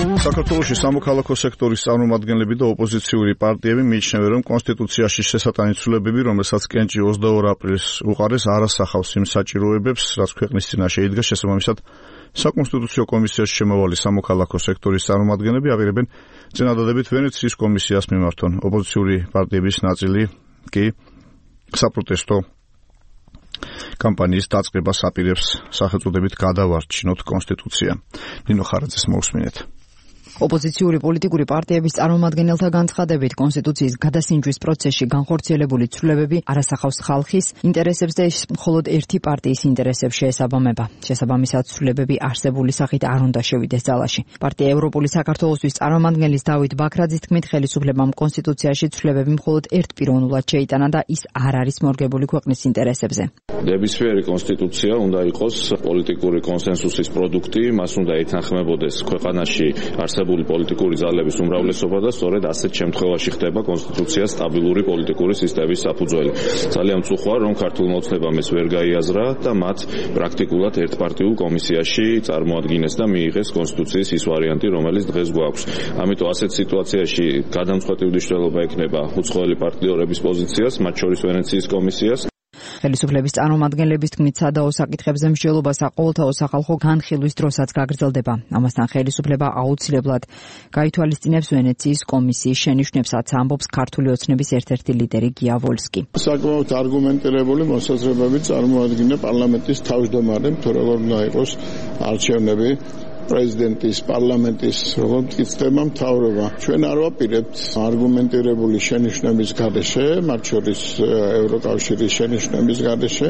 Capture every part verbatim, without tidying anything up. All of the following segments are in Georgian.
საქართველოში სამოქალაქო სექტორის წარმომადგენლები და ოპოზიციური პარტიები მიიჩნევენ, რომ კონსტიტუციაში შესატანი ცვლილებები, რომელსაც კენჭი ოცდაორ აპრილს უყარეს, არ ასახავს იმ საჭიროებებს, რაც ქვეყნის წინაშე იდგა. შესაბამისად, საკონსტიტუციო კომისიაში შემოვალი სამოქალაქო სექტორის წარმომადგენლები აპირებენ წინადადებით ვენეციის კომისიას მიმართონ. ოპოზიციური პარტიების ნაწილი კი საპროტესტო კამპანიის დაწყებას აპირებს სახელწოდებით გადავარჩინოთ კონსტიტუცია. ნინო ხარაძეს მოусმინეთ. ოპოზიციური პოლიტიკური პარტიების წარმომადგენელთა განცხადებით კონსტიტუციის გადასინჯვის პროცესში განხორციელებული ცვლილებები არასახავს ხალხის ინტერესებს და მხოლოდ ერთი პარტიის ინტერესებს შეესაბამება. შესაბამისად, ცვლილებები არსებული სახით არ უნდა შევიდეს ძალაში. პარტია ევროპული საქართველოსთვის წარმომადგენლის დავით ბაქრაძის თქმით, ხელისუფლებამ კონსტიტუციაში ცვლილებები მხოლოდ ერთპიროვნულად შეიტანა და ის არ არის მორგებული ქვეყნის ინტერესებზე. ნებისმიერი კონსტიტუცია უნდა იყოს პოლიტიკური კონსენსუსის პროდუქტი, მას უნდა ეთანხმებოდეს ქვეყანაში არსებული პოლიტიკური ძალების უმრავლესობა და სწორედ ასეთ შემთხვევაში ხდება კონსტიტუცია სტაბილური პოლიტიკური სისტემის საფუძველი. ძალიან მწუხოა, რომ ქართულ მოცნებამ ეს ვერ გაიაზრა და მათ პრაქტიკულად ერთპარტიულ კომისიაში წარმოადგინეს და მიიღეს კონსტიტუციის ის ვარიანტი, რომელიც დღეს გვაქვს. ამიტომ ასეთ სიტუაციაში გადამწყვეტი მნიშვნელობა ექნება უცხოელი პარტნიორების პოზიციას, მათ შორის ვენეციის კომისიას. ხელისუფლების წარმომადგენლების თქმით, სადაო საკითხებზე მსჯელობა საყოველთაო სახალხო განხილვის დროსაც გაგრძელდება. ამასთან ხელისუფლება აუცილებლად გაითვალისწინებს ვენეციის კომისიის შენიშვნებსაც, ამბობს ქართული ოცნების ერთ-ერთი ლიდერი გია ვოლსკი. საკმაოდ არგუმენტირებული მოსაზრებები წარმოადგინა პარლამენტის თავმჯდომარემ, თუ როგორ უნდა იყოს არჩევნები. პრეზიდენტის, პარლამენტის, როგორც იქნება მთავრობა. ჩვენ არ ვაპირებთ არგუმენტირებული შენიშვნების გარეშე, მათ შორის ევროკავშირის შენიშვნების გარეშე,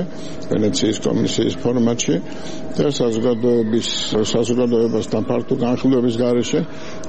ვენეციის კომისიის ფორმატში და საზოგადოების საზოგადოებასთან ფართო განხილვების გარეშე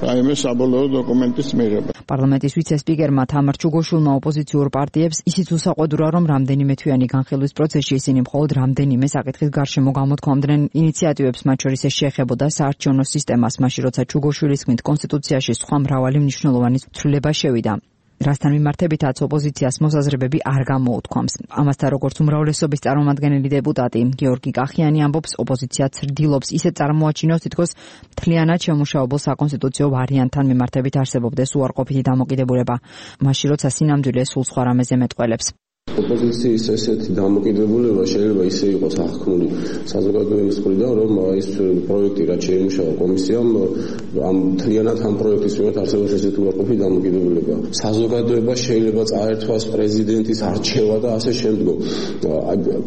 რაიმე საბოლოო დოკუმენტის მიღება. პარლამენტის ვიცე-სპიკერმა თამარ ჩუგოშვილმა ოპოზიციურ პარტიებს ისიც უსაყვედურა, რომ რამდენიმე თვიანი განხილვის პროცესში ისინი მხოლოდ რამდენიმე საკითხის გარშემო გამოთქვამდნენ ინიციატივებს, მათ შორის ეს შეეხებოდა საარჩევნო სისტემას, მაშინ როცა ჩუგოშვილის თქმით კონსტიტუციაში სხვა მრავალი მნიშვნელოვანი ცვლილება შევიდა. რასთან მიმართებითაც ოპოზიციას მოსაზრებები არ გამოუთქვამს. ამასთან როგორც უმრავლესობის წარმომადგენელი დეპუტატი გიორგი კახიანი ამბობს, ოპოზიცია ცდილობს ისე წარმოაჩინოს, თითქოს მთლიანად შემუშავებულ საკონსტიტუციო ვარიანტთან მიმართებით არსებობდეს უარყოფითი დამოკიდებულება, მაშინ როცა სინამდვილე სულ სხვა რამეზე მეტყველებს. ოპოზიციის ესეთი დამოკიდებულება შეიძლება ისე იყოს აღქმული საზოგადოების მხრიდან, რომ ის პროექტი, რაც შეიმუშავა კომისიამ, ამ მთლიანად ამ პროექტის მიმართ არსებობს ესეთი უარყოფითი დამოკიდებულება. საზოგადოება შეიძლება წაერთვას პრეზიდენტის არჩევა და ასე შემდგომ.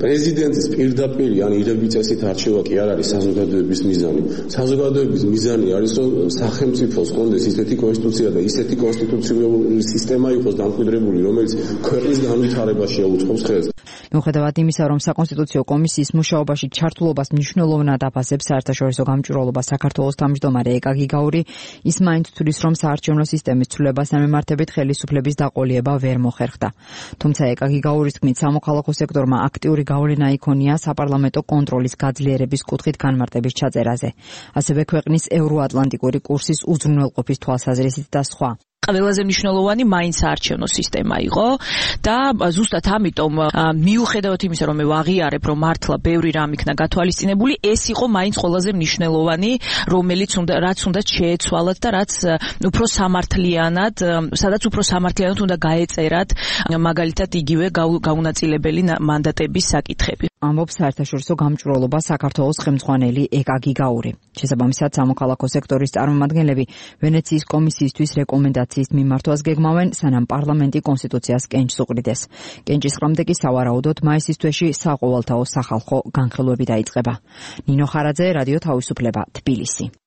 პრეზიდენტის პირდაპირი ან ირები წესით არჩევა კი არ არის საზოგადოების მიზანი. საზოგადოების მიზანი არის, რომ სახელმწიფოს კონდეს ისეთი კონსტიტუცია და ისეთი კონსტიტუციური სისტემა იყოს დამკვიდრებული, რომელიც ქვეყნის განვითარებას შეუწყობს ხელს. მიუხედავად იმისა, რომ საკონსტიტუციო კომისიის მუშაობაში ჩართულობას მნიშვნელოვნად აფასებს საერთაშორისო გამჭვირვალობა საქართველოს თავმჯდომარე ეკა გიგაური, ის მაინც თვლის, რომ საარჩევნო სისტემის ცვლილებასთან მიმართებით ხელისუფლების დაყოლიება ვერ მოხერხდა. თუმცა ეკა გიგაურის თქმით, სამოქალაქო სექტორმა აქტიური გავლენა იქონია საპარლამენტო კონტროლის გაძლიერების კუთხით განმარტების ჩაწერაზე, ასევე ქვეყნის ევროატლანტიკური კურსის უზრუნველყოფის თვალსაზრისით და სხვა. ყველაზე მნიშვნელოვანი მაინც საარჩევნო სისტემა იყო და ზუსტად ამიტომ მიუხედავად იმისა, რომ მე ვაღიარებ, რომ მართლა ბევრი რამ იქნა გათვალისწინებული, ეს იყო მაინც ყველაზე მნიშვნელოვანი, რომელიც უნდა რაც უნდა შეეცვალათ და რაც უფრო სამართლიანად, სადაც უფრო სამართლიანად უნდა გაეწერათ მაგალითად იგივე გაუნაწილებელი მანდატების საკითხები. ამბობს საერთაშორისო გამჭვირვალობა საქართველოს ხელმძღვანელი ეკა გიგაური. შესაბამისად, სამოქალაქო სექტორის წარმომადგენლები ვენეციის კომისიისთვის რეკომენდაციის მიმართვას გეგმავენ, სანამ პარლამენტი კონსტიტუციას კენჭს უყრიდეს. კენჭის ყრამდე კი სავარაუდოდ მაისის თვეში საყოველთაო სახალხო განხილვები დაიწყება. ნინო ხარაძე, რადიო თავისუფლება, თბილისი.